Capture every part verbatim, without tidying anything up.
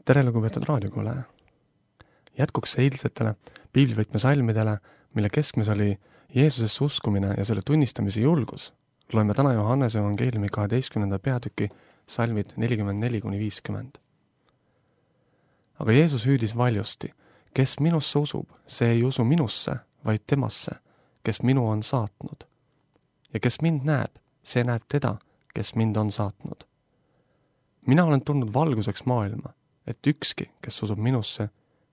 tere, lugupeetud raadiokuulaja! Jätkuks eilsetele piiblivõtme salmidele, mille keskmes oli Jeesusesse uskumine ja selle tunnistamise julgus, loeme täna Johannese evangeeliumi kaheteistkümnenda peatüki salmid nelikümmend neli kuni viiskümmend. Aga Jeesus hüüdis valjusti, kes minusse usub, see ei usu minusse, vaid temasse, kes minu on saatnud. Ja kes mind näeb, see näeb teda, kes mind on saatnud. Mina olen tulnud valguseks maailma, et ükski, kes usub minusse,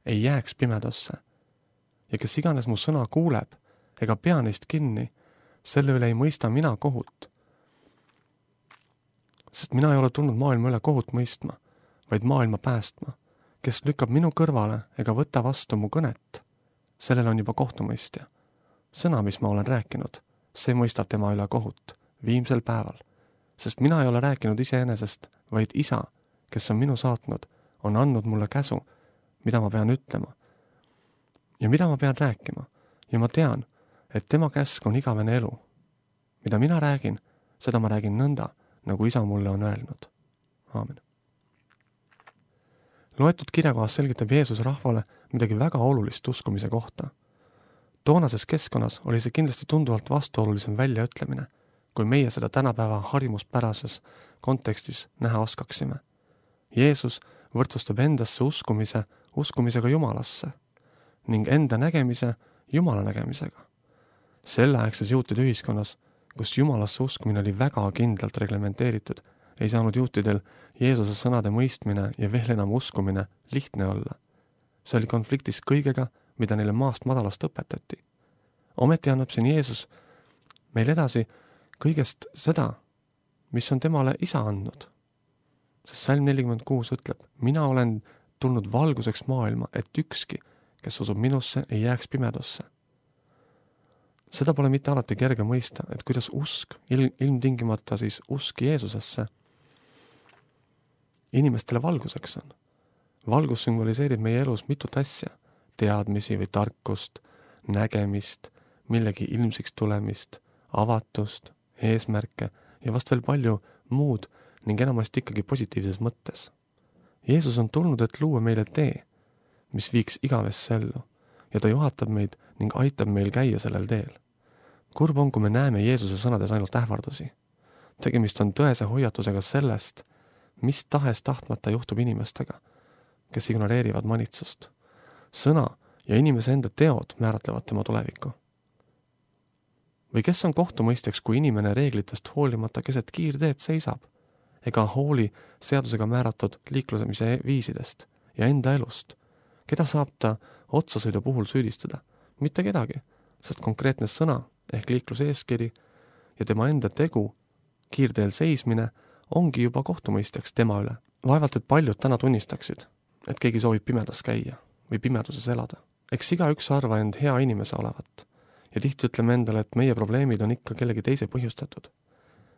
ei jääks pimedasse. Ja kes iganes mu sõna kuuleb, ega pea neist kinni, selle üle ei mõista mina kohut. Sest mina ei ole tulnud maailma üle kohut mõistma, vaid maailma päästma. Kes lükkab minu kõrvale ega võta vastu mu kõnet, sellel on juba kohtumõistja. Sõna, mis ma olen rääkinud, see mõistab tema üle kohut viimsel päeval. Sest mina ei ole rääkinud iseenesest, vaid isa, kes on minu saatnud, on andnud mulle käsu, mida ma pean ütlema ja mida ma pean rääkima. Ja ma tean, et tema käsk on igavene elu. Mida mina räägin, seda ma räägin nõnda, nagu isa mulle on öelnud. Aamen. Loetud kirjakohas selgitab Jeesus rahvale midagi väga olulist uskumise kohta. Toonases keskkonnas oli see kindlasti tunduvalt vastuolulisem väljaütlemine, kui meie seda tänapäeva harimuspärases kontekstis näha oskaksime. Jeesus võrdsustab endasse uskumise uskumisega Jumalasse ning enda nägemise Jumala nägemisega. Selleaegses juutide ühiskonnas, kus Jumalasse uskumine oli väga kindlalt reglementeeritud, ei saanud juutidel Jeesuse sõnade mõistmine ja veel enam uskumine lihtne olla. See oli konfliktis kõigega, mida neile maast madalast õpetati. Ometi annab siin Jeesus meil edasi kõigest seda, mis on temale isa andnud. Sest salm nelikümmend kuus ütleb, mina olen tulnud valguseks maailma, et ükski, kes usub minusse, ei jääks pimedasse. Seda pole mitte alati kerge mõista, et kuidas usk, il, ilmtingimata siis usk Jeesusesse, inimestele valguseks on. Valgus sümboliseerib meie elus mitut asja, teadmisi või tarkust, nägemist, millegi ilmsiks tulemist, avatust, eesmärke ja vast veel palju muud ning enamasti ikkagi positiivses mõttes. Jeesus on tulnud, et luua meile tee, mis viiks igavesse ellu ja ta juhatab meid ning aitab meil käia sellel teel. Kurb on, kui me näeme Jeesuse sõnades ainult ähvardusi. Tegemist on tõese hoiatusega sellest, mis tahes tahtmata juhtub inimestega, kes ignoreerivad manitsust. Sõna ja inimese enda teod määratlevad tema tulevikku. Või kes on kohtumõistjaks, kui inimene reeglitest hoolimata keset kiirteed seisab, ega hooli seadusega määratud liiklusemise viisidest ja enda elust? Keda saab ta otsasõidu puhul süüdistada? Mitte kedagi, sest konkreetne sõna ehk liikluse eeskiri ja tema enda tegu, kiirteel seismine, ongi juba kohtumõistjaks tema üle. Vaevalt, et paljud täna tunnistaksid, et keegi soovib pimedas käia või pimeduses elada. Eks iga üks arva end hea inimese olevat ja tihti ütleme endale, et meie probleemid on ikka kellegi teise põhjustatud.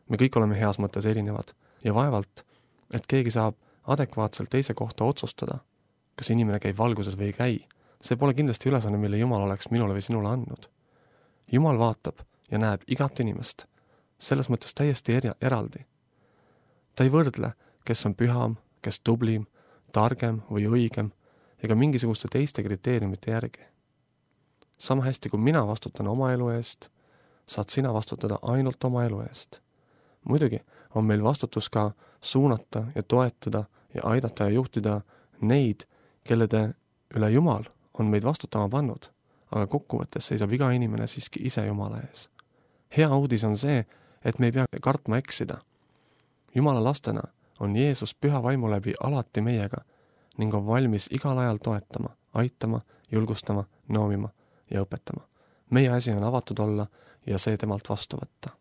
Me kõik oleme heas mõttes erinevad ja vaevalt, et keegi saab adekvaatselt teise kohta otsustada, kas inimene käib valguses või ei käi. See pole kindlasti ülesanne, mille Jumal oleks minule või sinule andnud. Jumal vaatab ja näeb igat inimest, selles mõttes täiesti eri, eraldi. Ta ei võrdle, kes on püham, kes tublim, targem või õigem, ega mingisuguste teiste kriteeriumite järgi. Sama hästi, kui mina vastutan oma elu eest, saad sina vastutada ainult oma elu eest. Muidugi on meil vastutus ka suunata ja toetada ja aidata ja juhtida neid, kellede üle Jumal on meid vastutama pannud, aga kokkuvõttes seisab iga inimene siiski ise Jumala ees. Hea uudis on see, et me ei pea kartma eksida. Jumala lastena on Jeesus püha vaimu läbi alati meiega ning on valmis igal ajal toetama, aitama, julgustama, noomima ja õpetama. Meie asi on avatud olla ja see temalt vastu võtta.